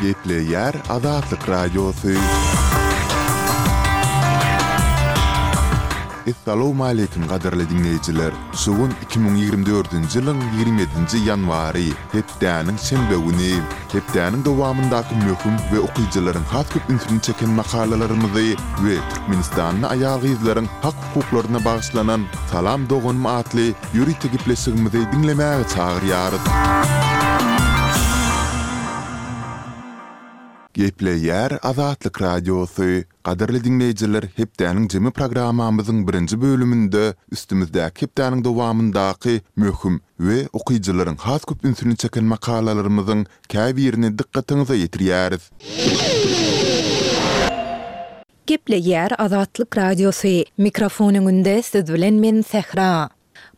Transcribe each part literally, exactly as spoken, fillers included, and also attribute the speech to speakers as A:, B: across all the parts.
A: Gepleýär Azatlyk Radiosy. Essalawmaleýkim gadyrly diňleýjiler! Şu gün iki müň ýigrimi dördünji ýylyň ýigrimi ýedinji ýanwary, hepdäniň şenbe güni. Hepdäniň dowamyndaky möhüm we okyjylaryň has köp ünsüni çeken makalalarymyzy we türkmenistanly aýal-gyzlaryň hak-hukuklaryna bagyşlanan Salam doganym atly ýörite gepleşigimizi diňlemäge çagyrýarys. Gepleýär Azatlyk Radiosy, Gadyrly diňleýjiler, hepdäniň jemi programmamyzyň birinji bölüminde üstümizdäki hepdäniň dowamyndaky möhüm we okyjylaryň has köp ünsüni çeken makalalarymyzyň käbirini dykgatyňyza ýetirýäris.
B: Gepleýär Azatlyk Radiosy, mikrofon öňünde siz bilen men Sähra.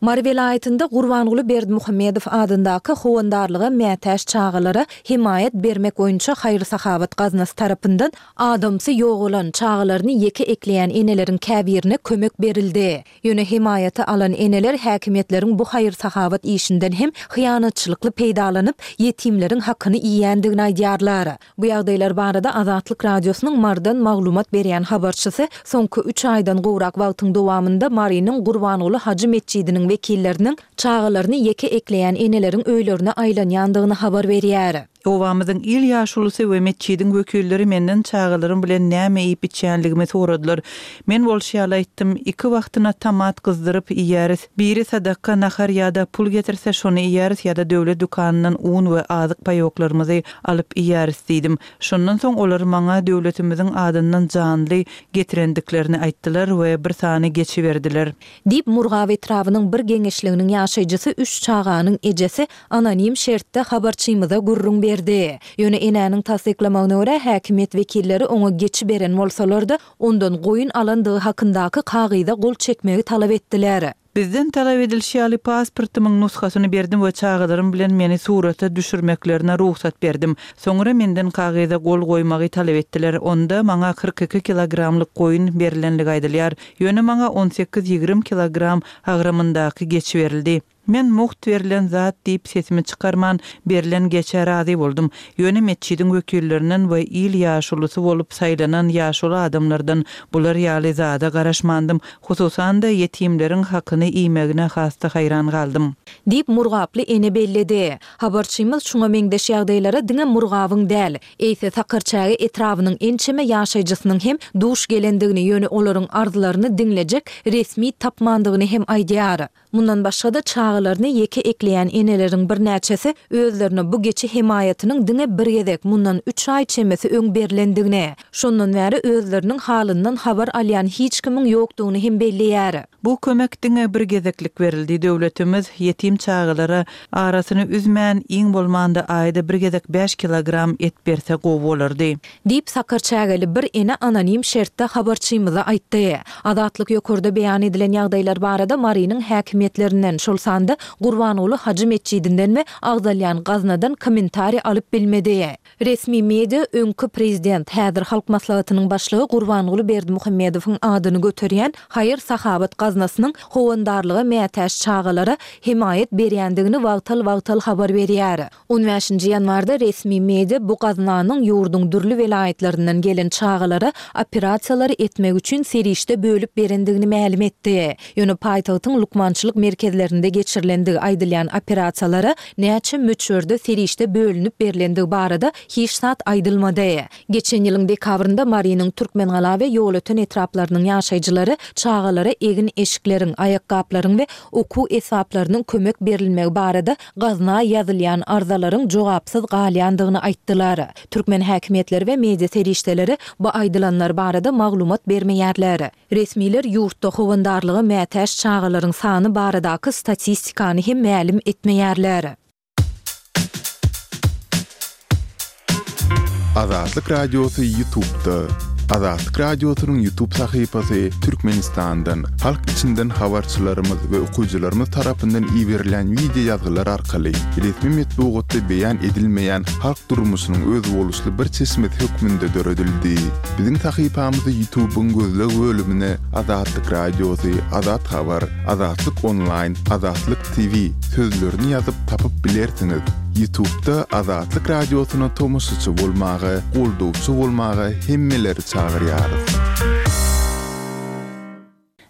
B: Mary welaýatynda Gurbanguly Berdimuhamedow adyndaky howandarlyga mätäç çagalara hemaýat bermek boýunça haýyr-sahawat gaznasy tarapyndan adamsy ýogalan, çagalaryny ýeke ekleýän eneleriň käbirine kömek berildi. Ýöne hemaýaty alan eneler häkimiýetleriň bu haýyr-sahawat işinden hem hyýanatçylykly peýdalanyp, ýetimleriň hakyny iýýändigini aýdýarlar. Bu ýagdaýlar barada Azatlyk Radiosynyň Marydan maglumat berýän habarçysy soňky üç aýdan gowrak wagtyň dowamynda Marynyň Gurbanguly hajy metjidiniň wekilleriniň çagalaryny ýeke ekleýän eneleriň öýlerine aýlanýandygyny habar berýär.
C: Obamyzyň il ýaşulusy we metjidiň wekilleri menden çagalarym bilen näme iýip-içýänligimi soradylar. Men bolşy ýaly aýtdym, iki wagtyna tomat gyzdyryp iýýäris. Biri sadaka nahar ýa-da pul getirse şony iýýäris ýa-da döwlet dükanyndan un we azyk paýoklarymyzy alyp iýýäris diýdim. Şondan soň olar maňa döwletimiziň adyndan janly getirendiklerini aýtdylar we bir sany geçi berdiler.
B: Diýip, Murgap etrabynyň bir geňeşliginiň ýaşaýjysy üç çaganyň ejesi anonim şertde habarçymyza gürrüň berdi. Ýöne enäniň tassyklamagyna görä, häkimiýet wekilleri oňa geçi beren bolsalar-da, ondan goýun alandygy hakyndaky kagyza gol çekmegi talap etdiler.
C: Bizden talap edilişi ýaly pasportymyň nusgasyny berdim we çagalarym bilen meni surata düşürmeklerine rugsat berdim. Soňra menden kagyza gol goýmagy talap etdiler. Onda maňa kyrk iki kilogramlyk goýun berlenligi aýdylýar. Ýöne maňa on sekiz-ýigrimi kilogram agramyndaky geçi berildi. Men mugt berlen zat diýip sesimi çykarman, berlen geçä razy boldum. Ýöne metjidiň wekillerinden we il ýaşulusy bolup saýlanan ýaşuly adamlardan bular ýaly zada garaşmandym. Hususan-da, ýetimleriň hakyny iýmegine has-da haýran galdym.
B: Diýip, murgaply ene belledi. Habarçymyz şuňa meňzeş ýagdaýlara diňe Murgabyň däl, eýse Sakarçäge etrabynyň ençeme ýaşaýjysynyň hem duş gelendigini, ýöne olaryň arzlaryny diňlejek resmi tapmandygyny hem aýdýar. Mundan başga-da, çagalaryny ýeke ekleýän eneleriň birnäçesi özlerine bu geçi hemaýatynyň diňe bir gezek, mundan üç aý çemesi öň berlendigini, şondan bäri özleriniň halyndan habar alýan hiç kimiň ýokdugyny hem belleýär.
C: Bu kömek diňe bir gezeklik berildi. Döwletimiz ýetim çagalara arasyny üzmän, iň bolmanda aýda bir gezek bäş kilogram et berse gowy bolardy.
B: Diýip, sakarçägeli bir ene anonim şertde habarçymyza aýtdy. Azatlyk ýokarda beýan edilen ýagdaýlar barada Marynyň häkimiýetlerinden, şol sanda Gurbanguly hajy metjidinden we agzalýan gaznadan kommentariý alyp bilmedi. Resmi media öňki prezident, häzir Halk Maslahatynyň başlygy Gurbanguly Berdimuhamedowyň adyny göterýän haýyr-sahawat gaznasynyň howandarlyga mätäç çagalara hemaýat berýändigini wagtal-wagtal habar berýär. On bäşinji ýanwarda resmi media bu gaznanyň ýurduň dürli welaýatlaryndan gelen çagalara operasiýalary etmek üçin serişde bölüp berendigini mälim etdi. Ýöne paýtagtyň lukmançylyk merkezlerinde geçirilendigi aýdylýan operasiýalara näçe möçberde serişde bölünip berlendigi barada hiç zat aýdylmady. Geçen ýylyň dekabrynda Marynyň Türkmengala we Ýolöten etraplarynyň ýaşaýjylary çagalara egin-eşikleriň, aýakgaplaryň we okuw esbaplarynyň kömek berilmegi barada gazna ýazylýan arzalaryň jogapsyz galýandygyny aýtdylar. Türkmen häkimiýetleri we media serişdeleri bu aýdylanlar barada maglumat bermeýärler. Resmiler ýurtda howandarlyga mätäç çagalaryň sany baradaky statistikany hem mälim etmeýärler.
A: Azatlyk Radiosy Ýutubda. Azatlyk Radiosynyň Ýutub sahypasy Türkmenistandan, halk içinden habarçylarymyz we okyjylarymyz tarapyndan iberilýän wideo ýazgylar arkaly resmi metbugatda beýan edilmeýän halk durmuşynyň özboluşly bir çeşmesi hökmünde döredildi. Biziň sahypamyzy Ýutubyň gözleg bölümine Azatlyk Radiosy, Azat Habar, Azatlyk Onlaýn, Azatlyk TV sözlerini ýazyp tapyp bilersiňiz. Ýutubda Azatlyk Radiosyna tomaşaçy bolmaga, goldawçy bolmaga hemmeleri çagyrýarys.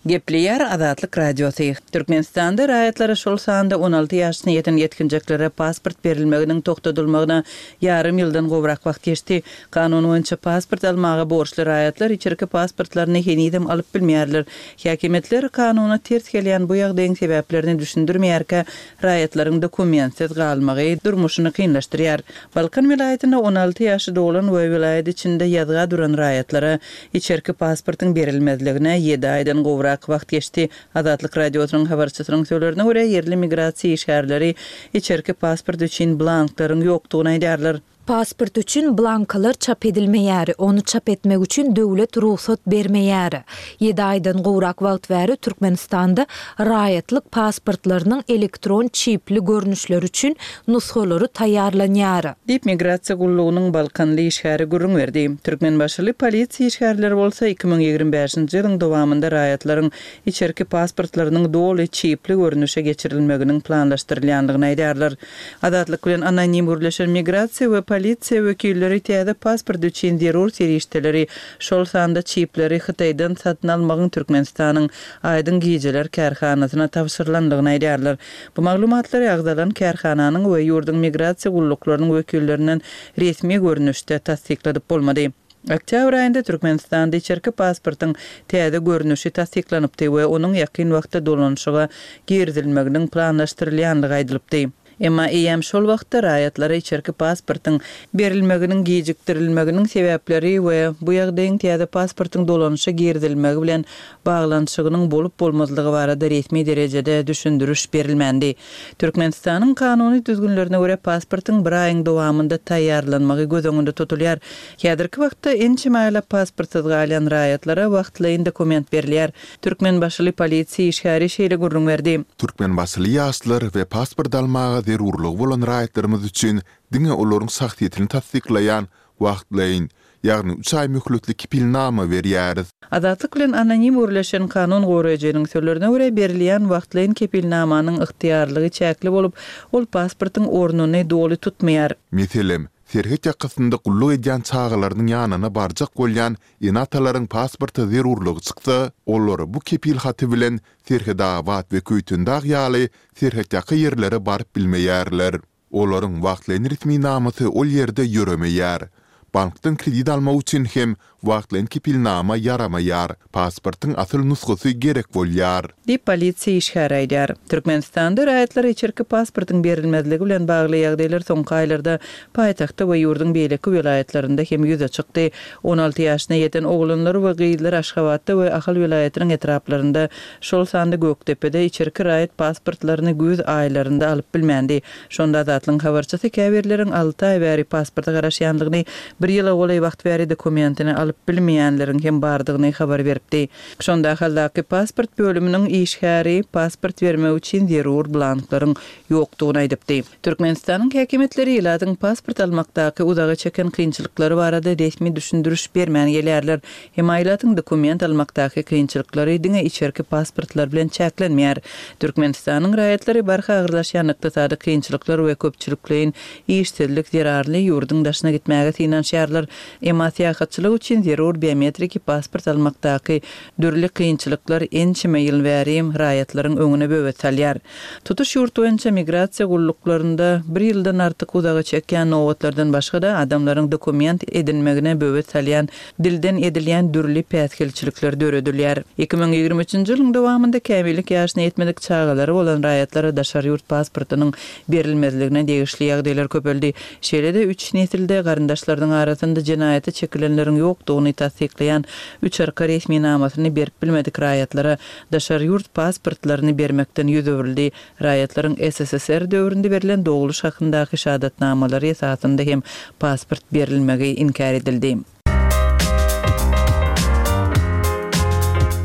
C: Gepleýär Azatlyk Radiosy. Türkmenistanda raýatlara, şol sanda on alty ýaşyna ýeten ýetginjeklere pasport berilmeginiň togtadylmagyna ýarym ýyldan gowrak wagt geçdi. Kanun boýunça pasport almaga borçly raýatlar içerki pasportlaryny henizem alyp bilmeýärler. Häkimiýetler kanuna ters gelýän bu ýagdaýyň sebäplerini düşündirmeýärkä, raýatlaryň dokumentsiz galmagy durmuşyny kynlaşdyrýar. Balkan welaýatynda on alty ýaşy dolan we welaýat içinde ýazga duran raýatlara içerki pasportyň berilmezligine ýedi aýdan gowrak wagt geçdi. Azatlyk Radiosynyň habarçysynyň sözlerine görä, ýerli migrasiýa işgärleri içerki pasport üçin blanklaryň ýokdugyny aýdýarlar.
B: Pasport üçin blankalar çap edilmeýär, ony çap etmek üçin döwlet rugsat bermeýär. Ýedi aýdan gowrak wagt bäri Türkmenistanda raýatlyk pasportlarynyň elektron çipli görnüşleri üçin nusgalary taýýarlanýar.
C: Diýip, migrasiýa gullugynyň balkanly işgäri gürrüň berdi. Türkmenbaşyly polisiýa işgärleri bolsa iki müň ýigrimi bäşinji ýylyň dowamynda raýatlaryň içerki pasportlarynyň doly çipli görnüşe geçirilmeginiň planlaşdyrylýandygyny aýdýarlar. Azatlyk bilen anonim gürleşen migrasiýa we polisiýa wekilleri täze pasport üçin zerur serişdeleri, şol sanda çipleri Hytaýdan satyn almagyň Türkmenistanyň Aýdyň gijeler kärhanasyna tabşyrylandygyny aýdýarlar. Bu maglumatlary agzalan kärhananyň we ýurduň migrasiýa gulluklarynyň wekillerinden resmi görnüşde tassykladyp bolmady. Oktýabr aýynda Türkmenistanda içerki pasportyň täze görnüşi tassyklanypdy we onuň ýakyn wagtda dolanyşyga girizilmeginiň planlaşdyrylýandygy aýdylypdy. Emma eýýäm şol wagtda raýatlara içerki pasportyň berilmeginiň gijikdirilmeginiň sebäpleri we bu ýagdaýyň täze pasportyň dolanyşa girizilmegi bilen baglanyşygynyň bolup bolmazlygy barada resmi derejede düşündiriş berilmändi. Türkmenistanyň kanuny düzgünlerine görä pasportyň bir aýyň dowamynda taýýarlanmagy göz öňünde tutulýar. Häzirki wagtda ençeme aýlap pasportsyz galýan raýatlara wagtlaýyn dokument berilýär. Türkmenbaşyly polisiýa işgäri şeýle gürrüň berdi.
A: Türkmenbaşyly ýaşlar we pasport almaga zerurlygy bolan raýatlarymyz üçin diňe olaryň şahsyýetini tassyklaýan wagtlaýyn, ýagny üç aý möhletli kepilnama berýäris.
C: Azatlyk bilen anonim gürleşen kanun goraýjynyň sözlerine görä berilýän wagtlaýyn kepilnamanyň ygtyýarlygy çäkli bolup, ol pasportyň ornuny doly tutmaýar.
A: Meselem, serhet ýakasynda gulluk edýän çagalarynyň ýanyna barjak bolýan ene-atalaryň pasporta zerurlygy çyksa, olar bu kepil haty bilen Serhetabat we Köýtendag ýaly serhetýaka ýerlere baryp bilmeýärler. Olaryň wagtlaýyn resminamasy ol ýerde ýöremeýär. Bankdan kredit almak üçin hem wagtlaýyn kepilnama ýaramaýar, pasportyň asyl nusgasy gerek bolýar.
C: Diýip, polisiýa işgäri aýdýar. Türkmenistanda raýatlara içerki pasportyň berilmezligi bilen bagly ýagdaýlar soňky aýlarda paýtagtda we ýurduň beýleki welaýatlarynda hem ýüze çykdy. On alty ýaşyna ýeten oglanlar we gyzlar Aşgabatda we Ahal welaýatynyň etraplarynda, şol sanda Gökdepede içerki raýat pasportlaryny güýz aýlarynda alyp bilmändi. Şonda Azatlygyň habarçysy käbirleriň alty aý bäri pasporta garaşýandygyny, bir ýyla golaý wagt bäri dokumentini alyp bilmeýänleriň hem bardygyny habar beripdi. Şonda Ahaldaky pasport bölüminiň işgäri pasport bermek üçin zerur blanklaryň ýokdugyny aýdypdy. Türkmenistanyň häkimiýetleri ilatyň pasport almakdaky uzaga çeken kynçylyklary barada resmi düşündiriş bermän gelýärler. Emma ilatyň dokument almakdaky kynçylyklary diňe içerki pasportlar bilen çäklenmeýär. Türkmenistanyň raýatlary barha agyrlaşýan ykdysady kynçylyklar we köpçülikleýin işsizlik zerarly ýurduň daşyna gitmäge synanyşýarlar. Emma syýahatçylyk üçin zerur biometriki pasport almakdaky dürli kynçylyklar ençeme ýyl bäri raýatlaryň öňüne böwet salýar. Tutuş ýurt boýunça migrasiýa gulluklarynda bir ýyldan artyk uzaga çekýän nobatlardan başga-da adamlaryň dokument edinmegine böwet salýan dilden edilýän dürli päsgelçilikler döredilýär. Iki müň ýigrimi üçünji ýylyň dowamynda kämillik ýaşyna ýetmedik çagalary bolan raýatlara daşary ýurt pasportynyň berilmezligine degişli ýagdaýlar köpeldi. Şeýle-de üç nesilde garyndaşlarynyň arasynda jenaýata çekilenleriň ýokdugyny tassyklaýan üç arka resminamasyny berip bilmedik raýatlara daşary ýurt pasportlaryny bermekden ýüz öwrüldi. Raýatlaryň S S S R döwründe berlen doguluş hakyndaky şahadatnamalary esasynda hem pasport berilmegi inkär edildi.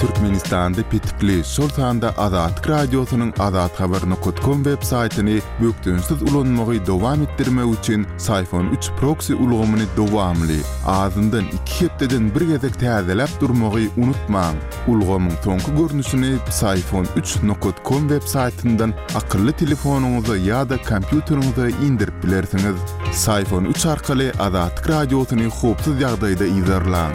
A: Türkmenistan Türkmenistanda petikli, şol sanda Azatlyk Radiosynyň azathabar nokat kom web saýtyny bökdençsiz ulanmagy dowam etdirmek üçin Syfon üç proksi ulgamyny dowamly, azyndan iki hepdeden bir gezek täzeläp durmagy unutmaň. Ulgamyň soňky görnüşini Psiphon üç nokat kom web saýtyndan akylly telefonyňyza ýa-da kompýuteriňize indirip bilersiňiz. Psiphon üç arkaly Azatlyk Radiosyny howpsuz ýagdaýda yzarlaň.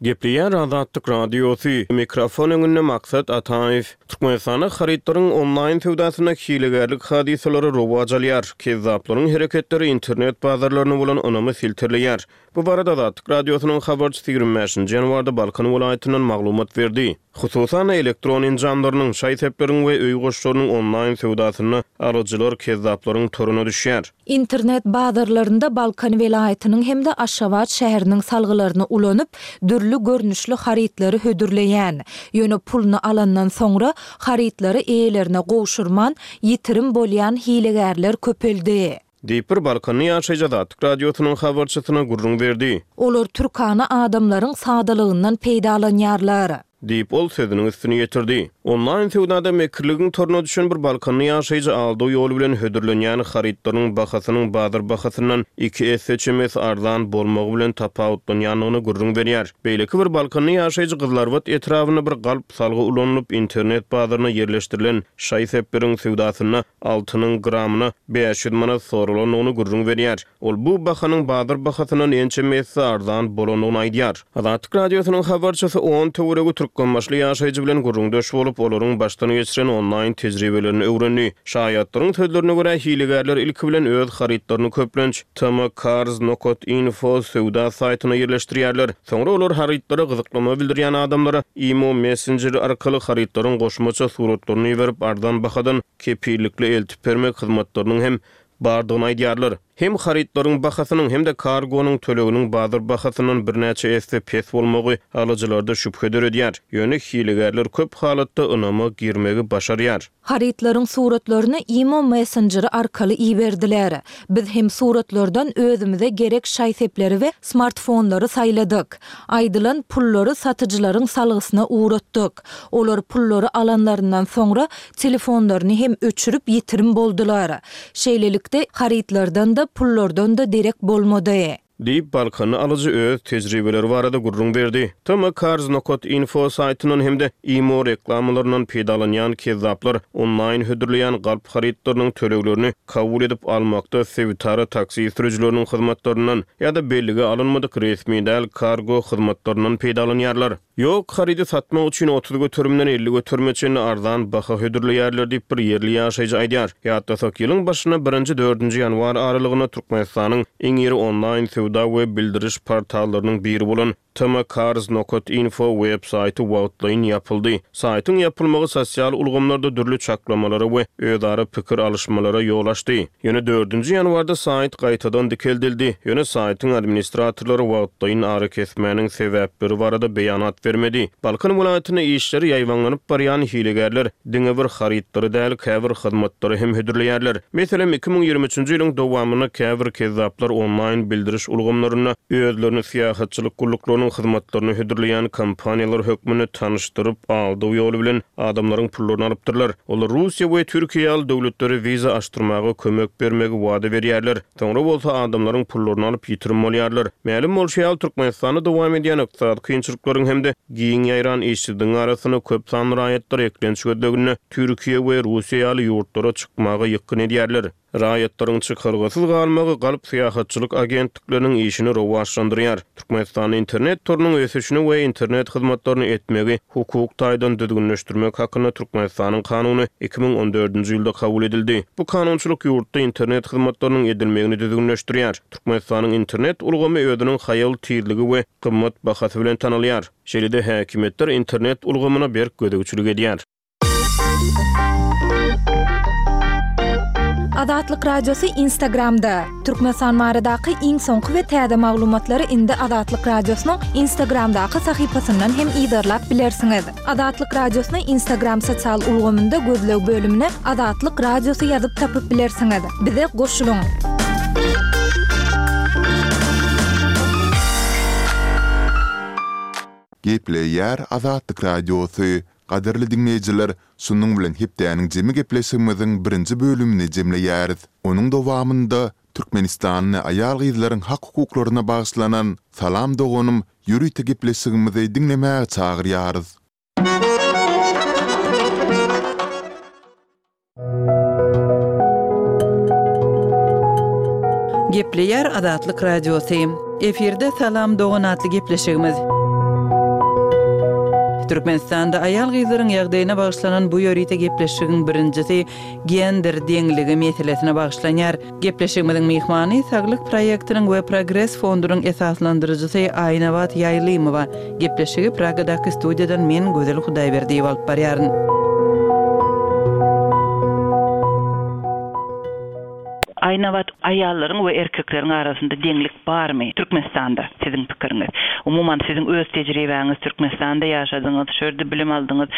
D: Gepleýär Azatlyk Radiosy, mikrofon öňünde Maksat Ataýew. Türkmenistanda harytlaryň onlaýn söwdasynda hilegärlik hadysalary rowaç alýar. Kezzaplaryň hereketleri internet bazarlaryna bolan ynamy silterleýär. Bu barada Azatlyk Radiosynyň habarçysy ýigrimi bäşinji ýanwarda Balkan welaýatyndan maglumat berdi. Hususan-da, elektron enjamlarynyň, şaý-sepleriň we öý goşlarynyň onlaýn söwdasynda alyjylar kezzaplaryň toruna düşýär.
B: Internet bazarlarynda Balkan welaýatynyň hem-de Aşgabat şäheriniň salgylaryny ulanyp, dürli görnüşli harytlary hödürleýän, ýöne puluny alandan soňra harytlary eýelerine gowşurman, ýitirim bolýan hilegärler köpeldi.
D: Diýip, bir balkanly ýaşaýjy Azatlyk Radiosynyň habarçysyna gürrüň berdi.
B: Olar türkana adamlaryň sadalygyndan peýdalanýarlar.
D: Diýip, ol sözüniň üstüni ýetirdi. Onlaýn söwdada mekirligiň toruna düşen bir balkanly ýaşaýjy aldaw ýoly bilen hödürlenýän harytlaryň bahasynyň bazar bahasyndan iki esse çemesi arzan bolmagy bilen tapawutlanýandygyny gürrüň berýär. Beýleki bir balkanly ýaşaýjy Gyzylarbat etrabynda bir galp salgy ulanylyp, internet bazaryna ýerleşdirilen şaý-sepleriň söwdasynda altynyň gramyna bäş ýüz manat soralandygyny gürrüň berýär. Ol bu bahanyň bazar bahasyndan ençeme esse arzan bolandygyny aýdýar. Azatlyk Radiosynyň habarçysy on töweregi türkmenbaşyly ýaşaýjy bilen gürrüňdeş bolup, olaryň başdan geçiren onlaýn tejribelerini öwrendi. Şaýatlaryň sözlerine görä, hilegärler ilki bilen öz harytlaryny köplenç tmcars nokat info söwda saýtyna ýerleşdirýärler. Soňra olar harytlara gyzyklanma bildirýän adamlara imo messenjeri arkaly harytlaryň goşmaça suratlaryny iberip, arzan bahadan kepillikli eltip bermek hyzmatlarynyň hem bardygyny aýdýarlar. Hem harytlaryň bahasynyň hem-de kargonyň töleginiň bazar bahasyndan birnäçe esse pes bolmagy alyjylarda şübhe döredýär. Ýöne hilegärler köp halatda ynama girmegi başarýar.
B: Harytlaryň suratlaryny imo messenjeri arkaly iberdiler. Biz hem suratlardan özümize gerek şaý-sepleri we smartfonlary saýladyk. Aýdylan pullary satyjylaryň salgysyna ugratdyk. Olar pullary alanlaryndan soňra telefonlaryny hem öçürip ýitirim boldular. Şeýlelikde, harytlardan-da, pullardan-da derek bolmady.
D: Diýip, balkanly alyjy öz tejribeleri barada gürrüň berdi. Tmcars nokat info saýtyndan hem-de imo reklamalaryndan peýdalanýan kezzaplar onlaýn hödürleýän galp harytlarynyň töleglerini kabul edip almakda sebitara taksi sürüjileriniň hyzmatlaryndan ýa-da bellige alynmadyk resmi däl kargo hyzmatlaryndan peýdalanýarlar. Ýok, harydy satmak üçin otuz göterimden elli göterime çenli arzan baha hödürleýärler diýip, bir ýerli ýaşaýjy aýdýar. Ýatlasak, ýylyň başynda birinji-dördünji ýanwar aralygynda Türkmenistanyň iň iri onlaýn söwda we bildiriş portallarynyň biri bolan tmcars nokat info web saýty wagtlaýyn ýapyldy. Saýtyň ýapylmagy sosial ulgamlarda dürli çaklamalara we özara pikir alyşmalara ýol açdy. Ýöne dördünji ýanwarda saýt gaýtadan dikeldildi. Ýöne saýtyň administratorlary wagtlaýyn arakesmäniň sebäpleri barada beýanat bermedi. Balkan welaýatynda işleri ýaýbaňlanyp barýan hilegärler diňe bir harytlary däl, käbir hyzmatlary hem hödürleýärler. Meselem, iki müň ýigrimi üçünji ýylyň dowamynda käbir kezzaplar onlaýn bildiriş ulgamlarynda özlerini syýahatçylyk gulluklarynyň hyzmatlaryny hödürleýän kompaniýalar hökmünde tanyşdyryp, aldaw ýoly bilen adamlaryň pullaryny alypdyrlar. Olar Russiýa we Türkiýe ýaly döwletlere wiza açdyrmaga kömek bermegi wada berýärler. Soňra bolsa adamlaryň pullaryny alyp ýitirim bolýarlar. Mälim bolşy ýaly, Türkmenistanda dowam edýän ykdysady kynçylyklaryň hem-de giň ýaýran işsizligiň arasynda köp sanly raýatlar eklenç gözleginde Türkiýe we Russiýa ýaly ýurtlara çykmaga ýykgyn edýärler. Raýatlaryň çykalgasyz galmagy galp syýahatçylyk agentlikleriniň işini rowaçlandyrýar. Türkmenistanda internet torunyň ösüşini we internet hyzmatlaryny etmegi hukuk taýdan düzgünleşdirmek hakynda Türkmenistanyň kanuny iki müň on dördünji ýylda kabul edildi. Bu kanunçylyk ýurtda internet hyzmatlarynyň edilmegini düzgünleşdirýär. Türkmenistanyň internet ulgamy özüniň haýal tizligi we gymmat bahasy bilen tanalýar. Şeýle-de häkimiýetler internet ulgamyna berk gözegçilik edýär.
B: Azatlyk Radiosy Instagramda. Türkmenistan baradaky iň soňky we täze maglumatlary indi Azatlyk Radiosynyň Instagramdaky sahypasyndan hem yzarlap bilersiňiz. Azatlyk Radiosyny Instagram sosial ulgamynda gözleg bölümine Azatlyk Radiosy ýazyp tapyp bilersiňiz. Bize goşulyň.
A: Gepleýär Azatlyk Radiosy, Gadyrly diňleýjiler, şunuň bilen hepdäniň jemi gepleşigimiziň birinji bölümini jemleýäris. Onuň dowamynda türkmenistanly aýal-gyzlaryň hak-hukuklaryna bagyşlanan Salam doganym ýörite gepleşigimizi diňlemäge çagyrýarys.
C: Gepleýär Azatlyk Radiosy. Efirde Salam dogan atly gepleşigimiz. Türkmenistanda aýal-gyzlaryň ýagdaýyna bagyşlanan bu ýörite gepleşigiň birinjisi gender deňligi meselesine bagyşlanýar. Gepleşigimiziň myhmany Saglyk proýektiniň we Progres fondunyň esaslandyryjysy Aýnabat Ýaýlymowa. Gepleşigi Pragadaky studiýadan men Gözel Hudaýberdiýewa alyp barýaryn. Aýnabat, aýallaryň we erkekleriň arasynda deňlik barmy Türkmenistanda, siziň pikiriňiz? Umuman, siziň öz tejribäňiz, Türkmenistanda ýaşadyňyz, şu ýerde bilim aldyňyz,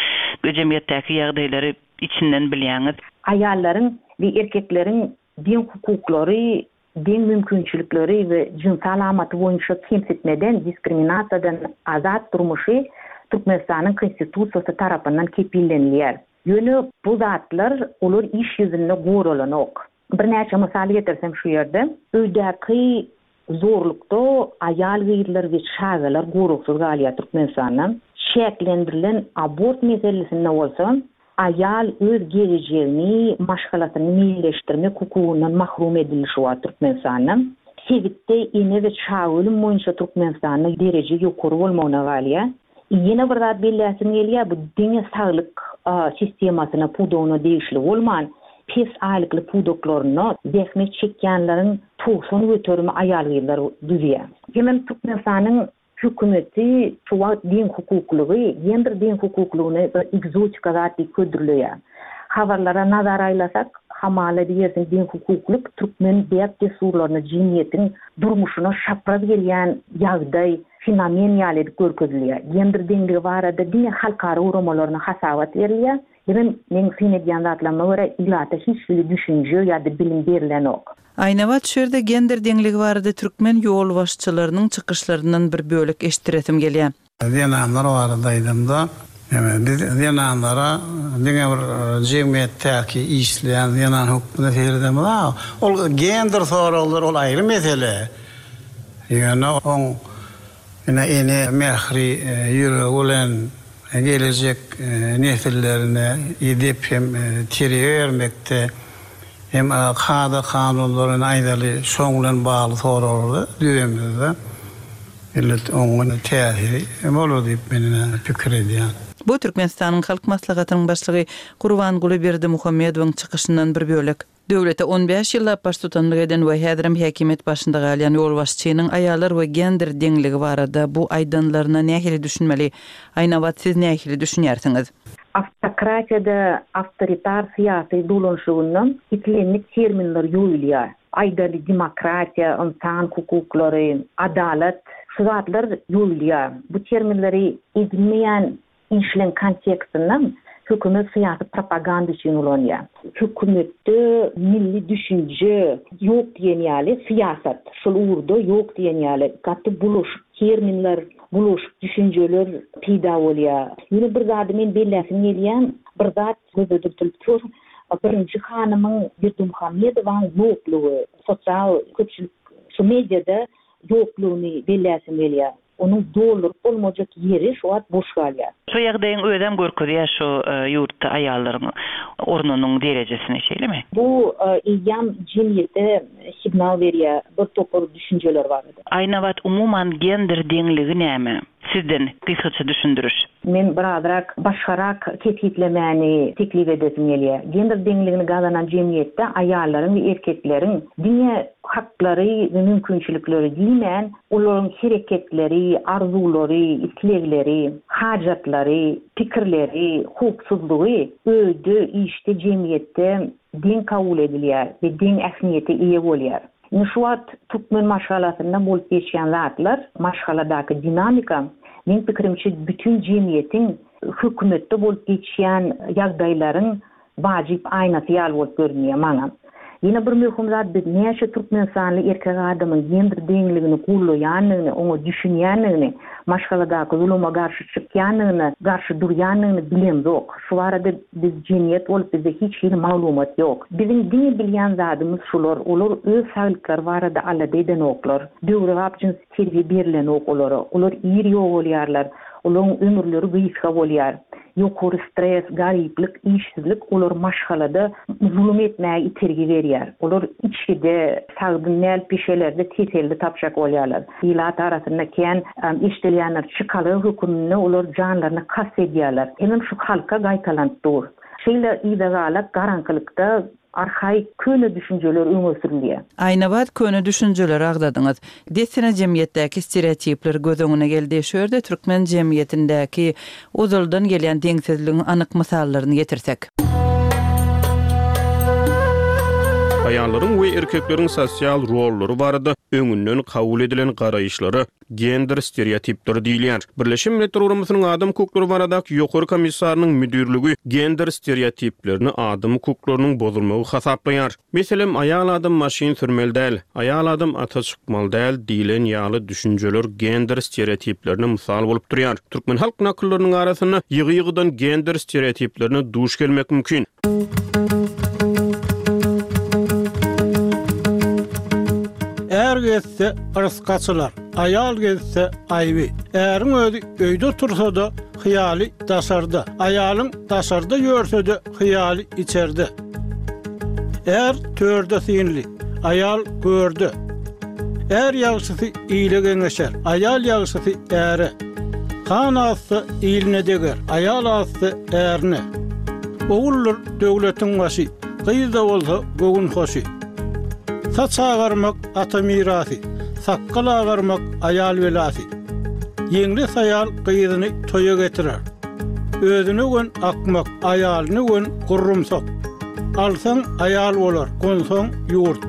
C: jemgyýetdäki ýagdaýlary içinden bilýäňiz.
E: Aýallaryň we erkekleriň deň hukuklary, deň mümkinçilikleri we jynsy alamaty boýunça kemsitmeden, diskriminasiýadan azat durmuşy Türkmenistanyň Konstitusiýasy tarapyndan kepillenilýär. Ýöne bu zatlar olar iş ýüzünde goralanok. Birnäçe mysal getirsem şu ýerde, öýdäki zorlukda aýal-gyzlar we çagalar goragsyz galýar Türkmenistanda. Çäklendirilen abort meselesinde bolsa, aýal öz gelejegini, maşgalasyny meýilleşdirmek hukugyndan mahrum edildi şu wagt Türkmenistanda. Sebitde ene we çaga ölüm boýunça Türkmenistanda dereje ýokary bolmagyna galýar. Ýene bir zat belläsim gelýär, bu diňe saglyk sistemasyna, pudagyna degişli bolman, pes aýlykly pudaklarynda zähmet çekýänleriň togsan göterimi aýal-gyzlar düzýär. Hemem Türkmenistanyň hökümeti şu wagt deň hukuklygy, gender deň hukuklygyny bir ekzotika zat diýip hödürleýär. Habarlara nazar aýlasak, hamala diýersiň deň hukuklyk türkmen däp-dessurlaryna, jemgyýetiň durmuşyna şapraz gelýän ýagdaý, fenomen ýaly edip görkezilýär. Gender deňligi barada diňe halkara guramalaryna hasabat berilýär. Hemem meň syn edýän zatlaryma görä ilata hiç hili düşünje ýa-da bilim berilenok.
C: Aýnabat şu ýerde gender deňligi barada türkmen ýolbaşçylarynyň çykyşlaryndan bir bölek eşitdiresim gelýär.
F: Zenanlar barada aýdamda, ýa biz zenanlara diňe bir jemgyýetdäki işleýän zenan hökmünde seredemiz. Ol gender soraglary ol aýry mesele. Ýöne oň ine ene mähri ýüregi bilen gelejek nesillerine edep hem terbiýe bermekde hem kada kanunlaryny aýdaly şoň bilen bagly soraglary düzemizde millet oňa täsiri bolar diýip men pikir edýän.
C: Bu Türkmenistanyň Halk Maslahatynyň başlygy Gurbanguly Berdimuhamedowyň çykyşyndan bir bölek. Döwlete on bäş ýyllap baştutanlyk eden we häzirem häkimiýet başynda galýan ýolbaşçynyň aýallar we gender deňligi barada bu aýdanlaryna nähili düşünmeli? Aýnabat, siz nähili düşünýärsiňiz?
E: Awtokratiýada awtoritar syýasy dolanşygyndan islendik terminler ýoýulýar. Aýdaly demokratiýa, ynsan hukuklary, adalat, şu zatlar ýoýulýar. Bu terminleri edinmeýän işleň kontekstinden hökümet syýasy propaganda üçin ulanýar. Hökümetde milli düşünje ýok diýen ýaly syýasat, şol ugurda ýok diýen ýaly gaty bulaşyk terminler, bulaşyk düşünjeler peýda bolýar. Ýene bir zady men belläsim gelýän, bir zat göze dürtülip dur. Birinji hanymyň Berdimuhamedowyň ýoklugy, sosial köpçülik şu mediada ýoklugyny belläsim gelýär. Onuň dolduryp bolmajak ýeri şu wagt boş galýar.
C: Şu ýagdaýyň özem görkezýär şu ýurtda aýallaryň ornunyň derejesini, şeýlemi?
E: Bu eýýäm jemgyýete signal berýär, bir topar düşünjeler bar.
C: Aýnabat, umuman gender deňligi näme? Sizden gysgaça düşündiriş.
E: Men birazrak başgarak kesgitlemäni teklip edesim gelýär. Gender deňligini gazanan jemgyýetde aýallaryň we erkekleriň diňe haklary we mümkinçilikleri diýmän, olaryň hereketleri, arzuwlary, islegleri, hajatlary, pikirleri, howpsuzlygy öýde, işde, jemgyýetde deň kabul edilýär we deň ähmiýete eýe bolýar. Indi şu wagt türkmen maşgalasynda bolup geçýän zatlar, maşgaladaky dinamika, meň pikirimçe bütün jemgyýetiň hökümetde bolup geçýän ýagdaýlaryň wajyp aýnasy ýaly bolup görünýär maňa. Ýene bir möhüm zat biz näçe türkmenistanly erkek adamyň gender deňligini gollaýandygyny, oňa düşünýändigini, maşgaladaky zuluma garşy çykýandygyny, garşy durýandygyny bilemzok. Şu barada biz jemgyýet bolup bizde hiç hili maglumat ýok. Biziň diňe bilýän zadymyz şular, olar öz saglyklary barada alada edenoklar. Döwrebap jyns terbiýe berilenok olara. Olar ir ýogalýarlar. Olaryň ömürleri gysga bolýar. Ýokary stres, garyplyk, işsizlik olar maşgalada zulum etmäge itergi berýär. Olar içgide, sagdyn däl pişelerde teselli tapjak bolýarlar. Ilat arasynda kän eşdilýänler çykalga höküminde olar janlaryny kast edýärler. Hemem şu halka gaýtalanyp dur. Şeýle yzagalak garaňkylykda arhaik köne düşünjeler öňe sürülýär.
C: Aýnabat köne düşünjeleri agzadyňyz. Dessine jemgyýetdäki stereotipler göz öňüne geldi. Şu ýerde türkmen jemgyýetindäki ozaldan gelýän deňsizligiň anyk mysallaryny getirsek.
D: Aýallaryň we erkekleriň sosial rollary barada öňünden kabul edilen garaýyşlara gender stereotipleri diýilýär. Birleşen Milletler Guramasynyň adam hukuklary baradaky ýokary komissarynyň müdirligi gender stereotiplerini adam hukuklarynyň bozulmagy hasaplaýar. Meselem, aýal adam maşyn sürmeli däl, aýal adam ata çykmaly däl diýlen ýaly düşünjeler gender stereotiplerine mysal bolup durýar. Türkmen halk nakyllarynyň arasynda ýygy-ýygydan gender stereotiplerine duş gelmek mümkin.
G: Er gezse yrys gaçylar, aýal gezse aýby. Äriň özi öýde tursa-da hyýaly daşarda. Aýalyň daşarda ýörse-de hyýaly içerde. Er törde synly, aýal görde. Er ýagşysy ile geňeşer, aýal ýagşysy äre. Han azsa iline deger, aýal azsa ärine. Oguldyr döwletiň başy, gyz da bolsa göwün hoşy. Saç agarmak ata mirasy, sakgal agarmak aýal belasy. Ýeňli saýal gyzyny toýa getirer. Özüne gön akmak, aýalyny gön gurrumsak. Alsaň aýal bolar, gonsaň ýurt.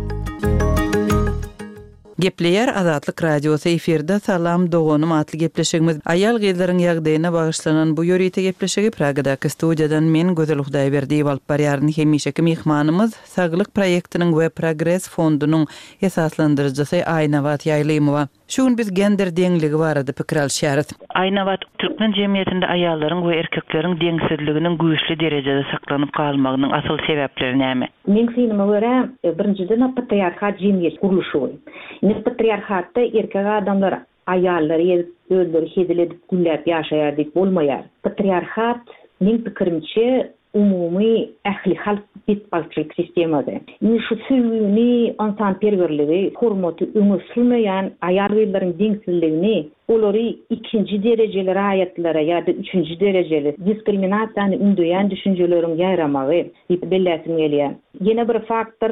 C: Gepleýär Azatlyk Radiosy efirde Salam doganym atly gepleşigimiz aýal gyzlaryň ýagdaýyna bagyşlanan bu ýörite gepleşigi Pragadaky studiýadan men Gözel Hudaýberdiýewa alyp barýaryn. Hemişeki myhmanymyz Saglyk proýektiniň we Progres fondunyň esaslandyryjysy Aýnabat Ýaýlymowa. Şu gün biz gender deňligi barada pikir alşýarys. Aýnabat, türkmen jemgyýetinde aýallaryň we erkekleriň deňsizliginiň güýçli derejede saklanyp galmagynyň asyl sebäpleri näme?
E: Meň synyma görä, birinjiden patriarhat jemgyýet gurluşy. Indi patriarhatda erkek adamlar aýallary ýezip, özleri hezil edip gülläp ýaşaýar diýip bolmaýar. Patriarhat meň pikirimçe umumy ähli halk betbagtçylyk sistemasy. Indi şu söýgüni, ynsanperwerligi, hormaty öňe sürmeýän aýal gyzlaryň deňsizligini, olary ikinji derejeli raýatlara ýa-da üçünji derejeli diskriminasiýany ündeýän düşünjeleriň ýaýramagy diýip belläsim gelýär. Ýene bir faktor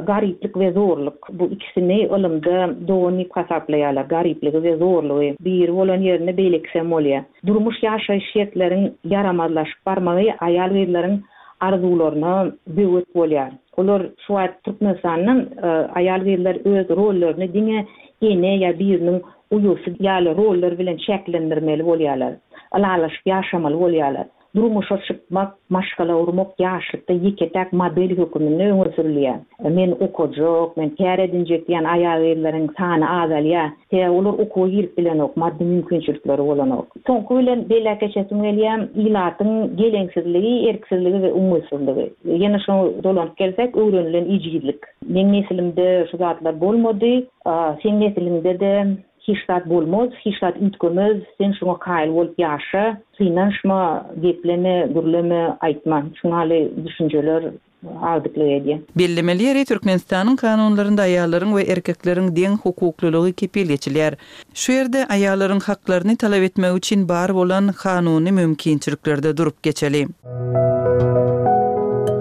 E: garyplyk we zorluk. Bu ikisini ylymda dogan diýip hasaplaýarlar. Garyplygy we zorlugy. Biri bolan ýerinde beýlekisi hem bolýar. Durmuş ýaşaýyş şertleriň ýaramazlaşyp barmagy aýal gyzlaryň arzuwlaryna böwet bolýar. Olar şu wagt Türkmenistandan aýal gyzlar öz rollaryny diňe ene ýa biriniň uýasy ýaly rollar bilen çäklendirmeli bolýarlar. Ylalaşyp ýaşamaly bolýarlar. Durmuşa çykmak, maşgala gurmak ýaşlykda ýeke-täk model höküminde öňe sürülýär. Men okajak, men kär edinjek diýen aýal gyzlaryň sany azalýar. Sebäbi olar okuwa girip bilenok, maddy mümkinçilikleri bolanok. Soňky bilen belläp geçesim gelýär, ilatyň geleňsizligi, erksizligi we umytsyzlygy. Ýene şoňa dolanyp gelsek, öwrenilen ejizlik. Meň nesilimde şu zatlar bolmady, seň nesiliňde-de hiç zat bolmaz, hiç zat üýtgemez, sen şoňa kaýyl bolup ýaşa, synanyşma, gepleme, gürleme, aýtma. Şuňaly düşünjeler agdyklyk edýär.
C: Bellemeli ýeri Türkmenistanyň kanunlarynda aýallaryň we erkekleriň deň hukuklylygy kepil geçilýär. Şu ýerde aýallaryň haklaryny talap etmek üçin bar bolan kanuny mümkinçiliklerde durup geçeli.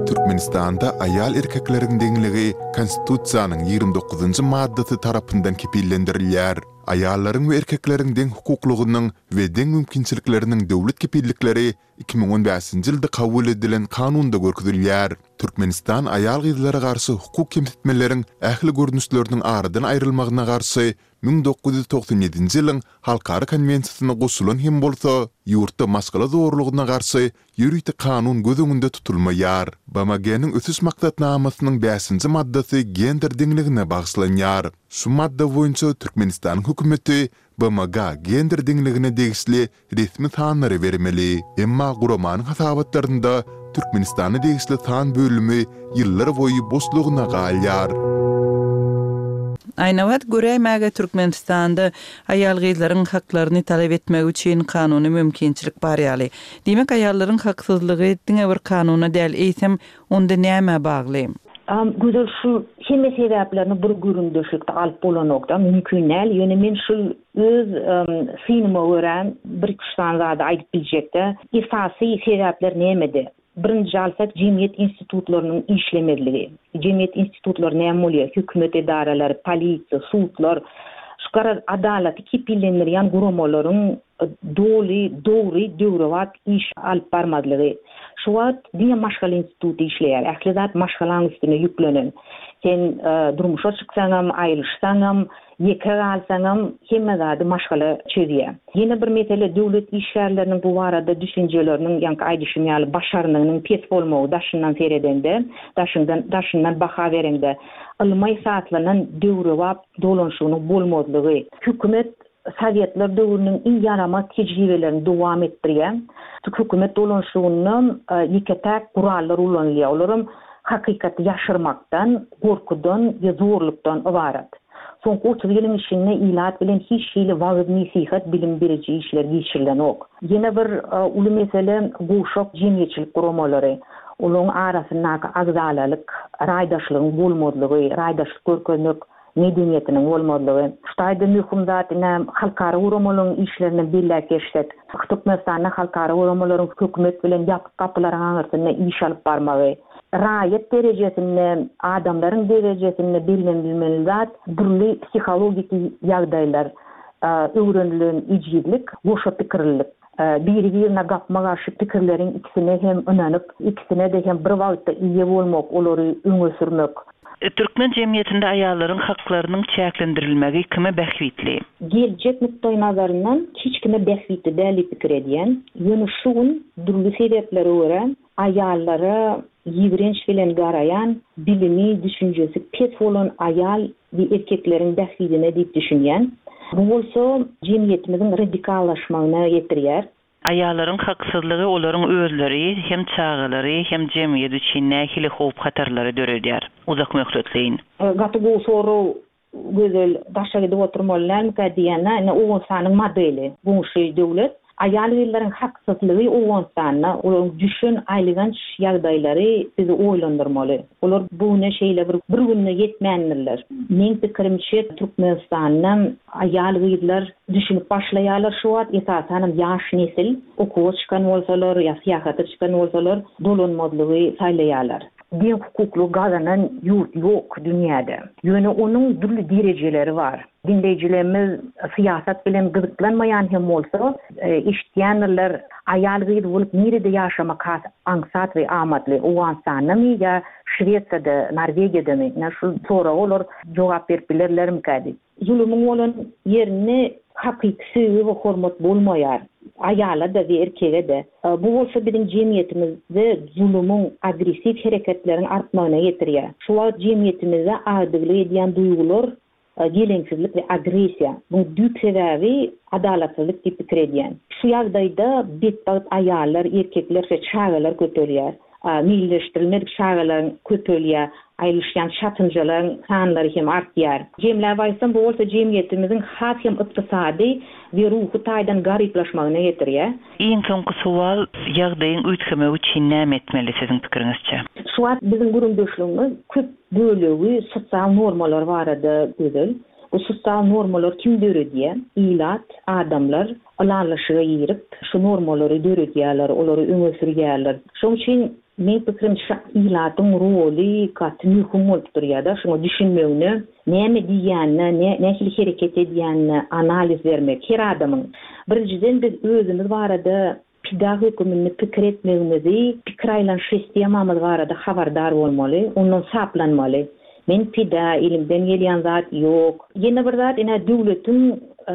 A: Türkmenistanda aýal erkekleriň deňligi Konstitusiýanyň ýigrimi dokuzynjy maddasy tarapyndan kepillendirilýär. Aýallaryň we erkekleriň deň hukuklygynyň we deň mümkinçilikleriniň döwlet kepillikleri iki müň on bäşinji ýylda kabul edilen kanunda görkezilýär. Türkmenistan aýal-gyzlara garşy hukuk kemsitmeleriň ähli görnüşleriniň aradan aýrylmagyna garşy müň dokuz ýüz togsan ýedinji ýylyň Halkara konwensiýasyna goşulan hem bolsa, ýurtda maşgala zorlugyna garşy ýörite kanun göz öňünde tutulmaýar. BMG-niň Ösüş maksatnamasynyň bäşinji maddasy gender deňligine bagyşlanýar. Şu madda boýunça Türkmenistanyň hökümeti BMG-a gender deňligine degişli resmi sanlary bermeli. Emma guramanyň hasabatlarynda Türkmenistana degişli san bölümi ýyllar boýy boşlugyna galýar.
C: Aýnabat göräýmäge Türkmenistanda aýal-gyzlaryň haklaryny talap etmegi üçin kanuny mümkinçilik bar ýaly. Diýmek, aýallaryň haksyzlygy diňe bir kanuna däl, eýsem, onda nämä bagly?
E: Gözel şu hemme sebäplerini bir gürrüňdeşlikde alyp bolanokda, mümkin däl. Ýöne men şu öz synyma görä bir iki üç sany zady aýdyp biljekde. Esasy sebäpler nämede? Birinji alsak jemgyýet institutlarynyň işlemezligi. Jemgyýet institutlary näme bolýar? Hökümet edaralary, polisiýa, sudlar, şu garaz adalaty kepillendirýän guramalaryň doly, dogry, döwrebap iş alyp barmazlygy. Şu wagt diňe maşgala instituty işleýär. Ähli zat maşgalaň üstüne ýüklenen. Sen durmuşa çyksaňam, aýrylyşsaňam, ýeke galsaňam, hemme zady maşgala çözýär. Ýene bir mesele döwlet işgärleriniň bu barada düşünjeleriniň, ýaňky aýdyşym ýaly, başarnygynyň pes bolmagy daşyndan seredende, daşyňdan, daşyndan baha bereňde, ylma esaslanan döwrebap dolanyşygynyň bolmazlygy. Hökümet Sowetler döwrüniň iň ýaramaz tejribelerini dowam etdirýär. Hökümet dolanyşygynda ýeke-täk gurallar ulanylýar. Olaram hakykaty ýaşyrmakdan, gorkudan we zorlukdan ybarat. Soňky otuz ýylyň içinde ilat bilen hiç hili wagyz-nesihat, bilim beriji işler geçirilenok. Ýene bir uly mesele gowşak jemgyýetçilik guramalary. Olaryň arasyndaky agzalalyk, raýdaşlygyň bolmazlygy, raýdaşlyk görkezmek medeniýetiniň bolmazlygy. Şu taýda möhüm zat ine halkara guramalaryň işlerinden belläp geçsek, Türkmenistanda halkara guramalaryň hökümet bilen ýapyk gapylaryň aňyrsynda iş alyp barmagy, raýat derejesinde, adamlaryň derejesinde bellenilmeli zat dürli psihologiki ýagdaýlar, öwrenilen ejizlik, goşa pikirlilik. Biri-birine gapma-garşy pikirleriň ikisine hem ynanyp, ikisine-de hem bir wagtda eýe bolmak, olary öňe sürmek.
C: Türkmen jemgyýetinde aýallaryň haklarynyň çäklendirilmegi kime bähbitli?
E: Geljek nukdaýnazaryndan hiç kime bähbitli däl diýip pikir edýän. Ýöne şu gün dürli sebäplere görä aýallara ýigrenç bilen garaýan, bilimi, düşünjesi pes bolan aýal we erkekleriň bähbidine diýip düşünýän. Bu bolsa jemgyýetimiziň radikallaşmagyna getirýär.
C: Aýallaryň haksyzlygy olaryň özleri, hem çagalary, hem jemgyýet üçin nähili howp-hatarlary döredýär uzak möhletleýin?
E: Gaty gowy sorag Gözel, daşa gidip oturmaly dälmikä diýýän-ä, ine Owganystanyň modeli, goňşy döwlet. Aýal-gyzlaryň haksyzlygy Owganystanda, olaryň düşen aýlyganç ýagdaýlary bizi oýlandyrmaly. Olar bu güne şeýle bir bir günde ýetmändirler. Meň pikirimçe, Türkmenistanda aýal-gyzlar düşünip başlaýarlar şu wagt, esasanam ýaş nesil, okuwa çykan bolsalar ýa syýahata çykan bolsalar, dolanmazlygy saýlaýarlar. Deň hukuklygy gazanan ýurt ýok dünýäde. Ýöne onuň dürli derejeleri bar. Diňleýjilerimiz syýasat bilen gyzyklanmaýan hem bolsa, eşitýändirler, aýal-gyz bolup nirede ýaşamak has aňsat we amatly, Owganystandamy ýa Şwesiýada, Norwegiýadamy? Ine, şu soraga olar jogap berip bilerlermikä diýip. Zulumyň bolan ýerinde hakyky söýgi we hormat bolmaýar, aýala-da we erkege-de. Bu bolsa biziň jemgyýetimizde zulumyň, agressiw hereketleriň artmagyna getirýär. Şu wagt jemgyýetimizde agdyklyk edýän duýgular geleňsizlik we agressiýa. Muň düýp sebäbi adalatsyzlyk diýip pikir edýän. Şu ýagdaýda betbagt aýallar, erkekler we çagalar köpelýär. Meýilleşdirilmedik çagalaryň köpelýär, aýrylyşýan çatynjalaryň sanlary hem artýar. Jemläp aýtsam, bu bolsa jemgyýetimiziň has hem ykdysady we ruhy taýdan garyplaşmagyna getirýär.
C: Iň soňky sowal, ýagdaýyň üýtgemegi üçin näme etmeli siziň pikiriňizçe?
E: Şu wagt biziň gürrüňdeşligimiz köp bölegi sosial normalar barada Gözel. Bu sosial normalary kim döredýär? Ilat, adamlar ylalaşyga girip, şu normalary döredýärler, olary öňe sürýärler. Şonuň üçin meň pikirimçe ilatyň roly gaty möhüm bolup durýar-da, şuňa düşünmegine, näme diýýänine, nähili hereket edýänine analiz bermek her adamyň. Birinjiden biz özümiz barada pida höküminde pikir etmegimizi, pikir aýlanyş sistemamyz barada habardar bolmaly, ondan saplanmaly. Men pida, elimden gelýän zat ýok. Ýene bir zat, ine döwletiň,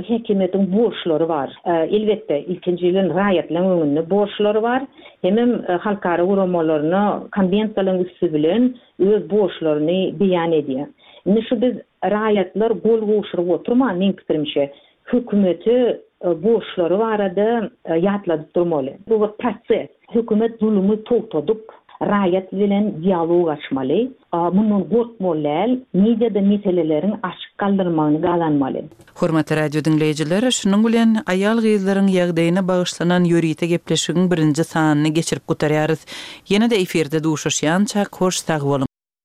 E: häkimiýetiň borçlary bar. Elbetde, ilkinji bilen raýatlaryň öňünde borçlary bar. Hemem halkara guramalaryna konwensiýalaryň üsti bilen öz borçlaryny beýan edýär. Indi şu biz raýatlar gol gowşuryp oturman, meň pikirimçe, hökümete borçlary barada ýatladyp durmaly. Bu bir proses. Hökümet zulumy togtadyp, raýat bilen dialog açmaly. Mundan gorkmaly däl, mediada meseleleriň açyk galdyrylmagyny gazanmaly.
C: Hormatly radio diňleýjiler, şunuň bilen aýal-gyzlaryň ýagdaýyna bagyşlanan ýörite gepleşigiň birinji sanyny geçirip gutarýarys. Ýene-de efirde duşuşýançak, hoş sag boluň!